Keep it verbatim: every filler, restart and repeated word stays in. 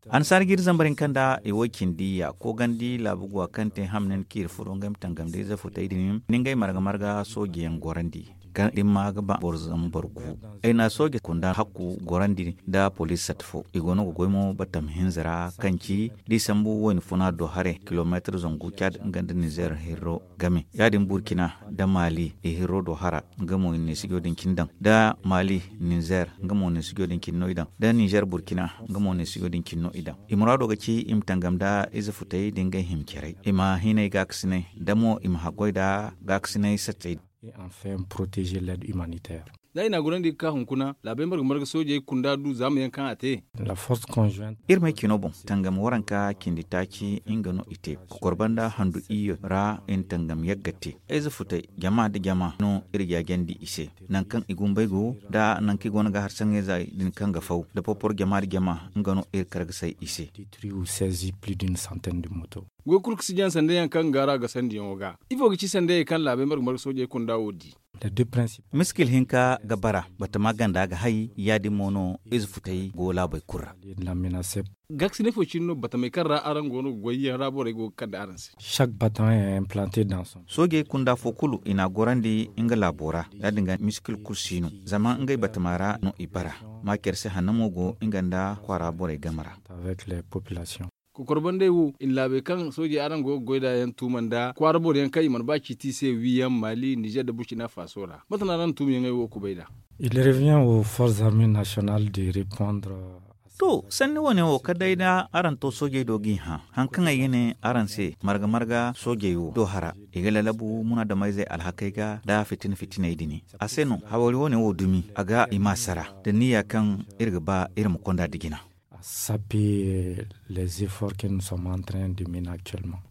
Annasaara ga iri zambar hinka nda i wo cindi ya koogandi laabu guwa kaŋ te hamnin kaŋ iri furo ngey ma tangam da ize futey din ni ngey marga marga sooji yaŋ gorandi. Kaŋ din ma ga ba boro zambar gu ay na sooji kunda hakku gorandi nda poliis sat fo i go no ga goy mo batam hinza ra kaŋ ci da i sambu wayna funa do haray kilomeetar zangu caad nga nda nizeer hirro game ya- din burkina nda maali i hirro do hara nga mo i na neesijo din cine daŋ da maali nizeer nga mo neesijo din cine no i daŋ da nizeer burkina nga mo neesijo din cine no i daŋ. I muraado ga ci i ma tangam nda ize futey da ngey hima caray i ma hinay gaakasinay da mo i ma haggoy nda gaakasinay sattey. Za i na a gorandi ga ka hunkuna laabey marga marga soojey kunda du zaama yaŋ kaŋ a te. Iri may cino boŋ tangam waranka cindi taaci nga no i te kokor banda handu iyyo ra i na tangam yagga te. Ize futey jama nda jama no iri jaajandi i se nangu kaŋ i gumbey go nda nangu kaŋ i go no ga har saŋayzey din kaŋ ga faw nda popor jama nda jama nga no iri kar ga say i se. Goy kulu ga si jaŋ sanday yaŋ kaŋ ga ra ga sandiyaŋo ga ifo ga ci sanday yaŋ kaŋ laabey marga marga soojey kunda wo di? Miskil hinka ga bara batama ganda ga hay ya- din mo no ize futey go laabey kulu ra. Gaakasinay fo cine no batamey kaŋ ra araŋ go no ga goy yaŋ ra borey go ga kande araŋ se. Soojey kunda fo kulu i na a gorandi nga laabo ra ya- din ga miskil kulu si no zama ngey batama ra no i bara. Maacer se hanno mo go nga nda kwaara borey game ra. Kokor bandey wo i na laabey kaŋ soojey araŋ go ga goy nd'a yaŋ tuuma nda kwaara boro yaŋ kaŋ i mana ba ciiti i se wiiyaŋ maali nizeer nda burkina faso ra mate no araŋ na tuumayaŋey wo kubay nd'a? Il revient aux forces armées nationales de répondre. To sanni wane wo kala day da araŋ to soojey do g'i hã haŋ kaŋ ay ga ne araŋ se marga marga soojey wo do hara i ga lalabu munaadamayzey alhakey ga nda fitina fitiney din a se no hawari wane wo dumi a ga i ma sara da niyya kaŋ iri ga ba iri ma konda nda jina. Sape les efforts que nous sommes en train de mener actuellement.